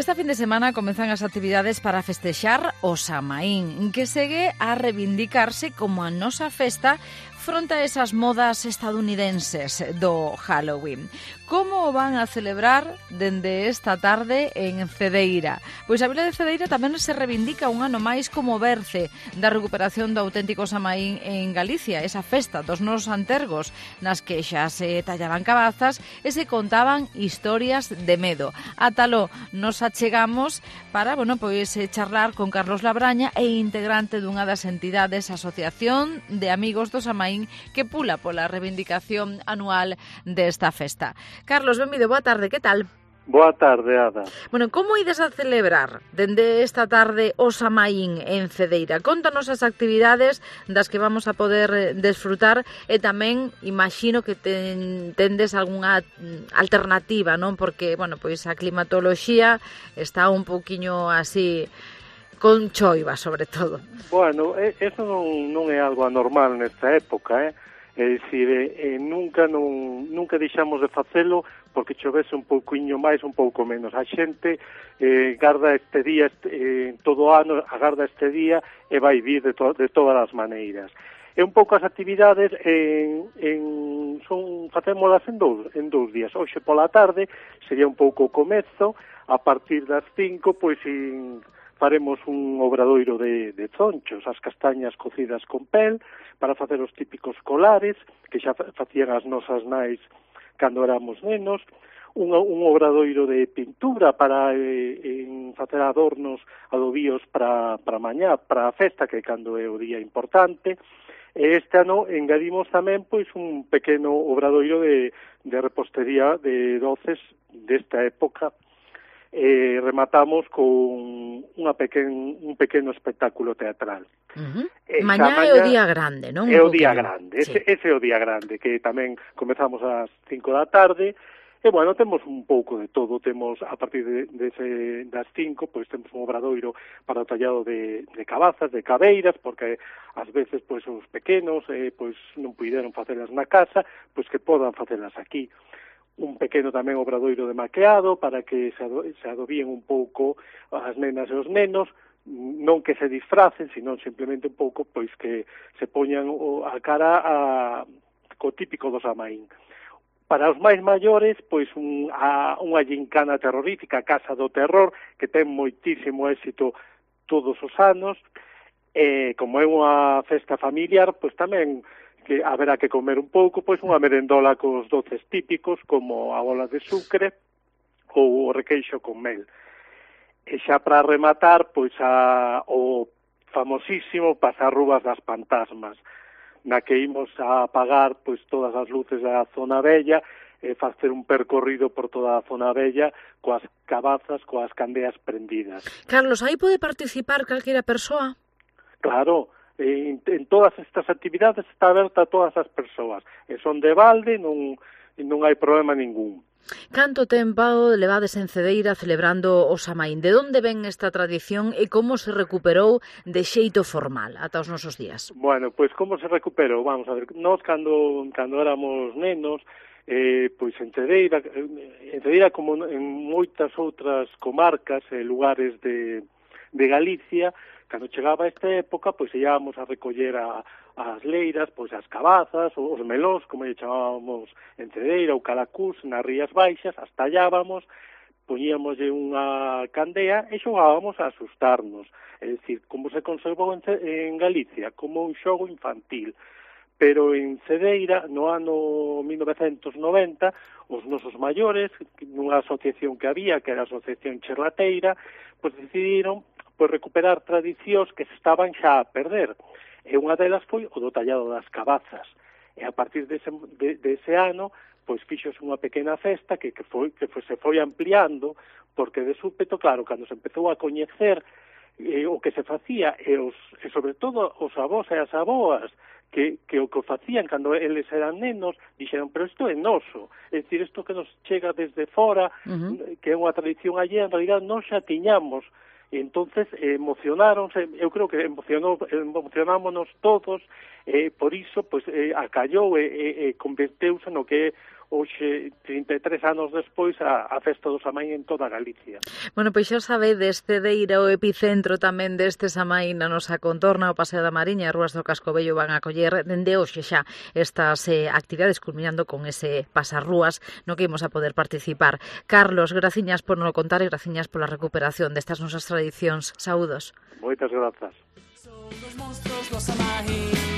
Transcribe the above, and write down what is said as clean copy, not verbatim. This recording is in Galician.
Esta fin de semana comezan as actividades para festexar o Samaín, que segue a reivindicarse como a nosa festa fronte a esas modas estadounidenses do Halloween. Como o van a celebrar dende esta tarde en Cedeira? Pois a vila de Cedeira tamén se reivindica un ano máis como berce da recuperación do auténtico Samaín en Galicia, esa festa dos nosos antergos, nas que xa se tallaban cabazas e se contaban historias de medo. Átalo nos achegamos para, charlar con Carlos Labraña e integrante dunha das entidades Asociación de Amigos do Samaín que pula pola reivindicación anual desta festa. Carlos, benvido, boa tarde, que tal? Boa tarde, Ada. Como ides a celebrar dende esta tarde o Samaín en Cedeira? Contanos as actividades das que vamos a poder desfrutar e tamén imagino que tendes algunha alternativa, non? Porque, a climatoloxía está un pouquiño así con choiva, sobre todo. Bueno, eso non é algo anormal nesta época, É dicir, nunca deixamos de facelo porque chovese un pouquiño máis, un pouco menos. A xente garda este día, todo o ano agarda este día e vai vir de todas as maneiras. E un pouco as actividades facémolas en dous días. Hoxe pola tarde sería un pouco o comezo, a partir das 5, faremos un obradoiro de zonchos, as castañas cocidas con pel, para facer os típicos colares, que xa facían as nosas nais cando éramos nenos, un obradoiro de pintura para facer adornos, adobíos para mañá, para a festa, que cando é o día importante. E este ano engadimos tamén un pequeno obradoiro de repostería de doces desta época. Rematamos con un pequeno espectáculo teatral. Mañá é o día grande, non? É o día grande, sí. Ese é o día grande, que tamén comezamos ás 5 da tarde, e, temos un pouco de todo. Temos, a partir das 5, temos un obradoiro para o tallado de cabazas, de cabeiras, porque ás veces, os pequenos, non puideron facelas na casa, que podan facelas aquí. Un pequeno tamén obradoiro de maqueado para que se adobíen un pouco as nenas e os nenos, non que se disfracen, sino simplemente un pouco que se poñan a cara co típico do Samaín. Para os máis maiores, unha gincana terrorífica, a Casa do Terror, que ten moitísimo éxito todos os anos, e como é unha festa familiar, tamén que haberá que comer un pouco, unha merendola cos doces típicos, como a bola de sucre ou o requeixo con mel. E xa para rematar, o famosísimo Pasarrúas das Pantasmas, na que imos a apagar todas as luces da zona vella e facer un percorrido por toda a zona vella coas cabazas, coas candeas prendidas. Carlos, aí pode participar calquera persoa? Claro, en todas estas actividades está aberta a todas as persoas, e son de balde, non hai problema ningún. Canto tempo levades en Cedeira celebrando o Samaín? De onde ven esta tradición e como se recuperou de xeito formal ata os nosos días? Bueno, como se recuperou? Vamos a ver, nós cando éramos nenos, en Cedeira como en moitas outras comarcas e lugares de Galicia, cando chegaba esta época, íamos a recoller as leiras, as cabazas, os melóns, como lle chamábamos en Cedeira, ou calacús, nas Rías Baixas, as tallábamos, poñíamoslle unha candea e xogábamos a asustarnos. É dicir, como se conservou en Galicia, como un xogo infantil. Pero en Cedeira, no ano 1990, os nosos maiores, nunha asociación que había, que era a Asociación Cherlateira, decidiron recuperar tradicións que se estaban xa a perder. E unha delas foi o do tallado das cabazas. E a partir dese ano, fixose unha pequena festa que se foi ampliando, porque de súpeto, claro, cando se empezou a coñecer o que se facía, e sobre todo os avós e as aboas, que o que facían cando eles eran nenos, dixeron, pero isto é noso, é dicir, isto que nos chega desde fora, que é unha tradición allí, en realidad non xa tiñamos. E entonces emocionáronse, eu creo que emocionámonos todos, por iso acallou e converteuse no que é hoxe, 33 anos despois, a festa do Samaín en toda Galicia. Bueno, pois xa sabedes, Cedeira, o epicentro tamén deste Samaín na nosa contorna, o Paseo da Mariña e Rúas do Cascovello van a acoller dende hoxe xa estas actividades, culminando con ese pasarrúas no que imos a poder participar. Carlos, graciñas por nos contar e graciñas pola recuperación destas nosas tradicións. Saúdos. Moitas grazas. Son os monstros do Samaín.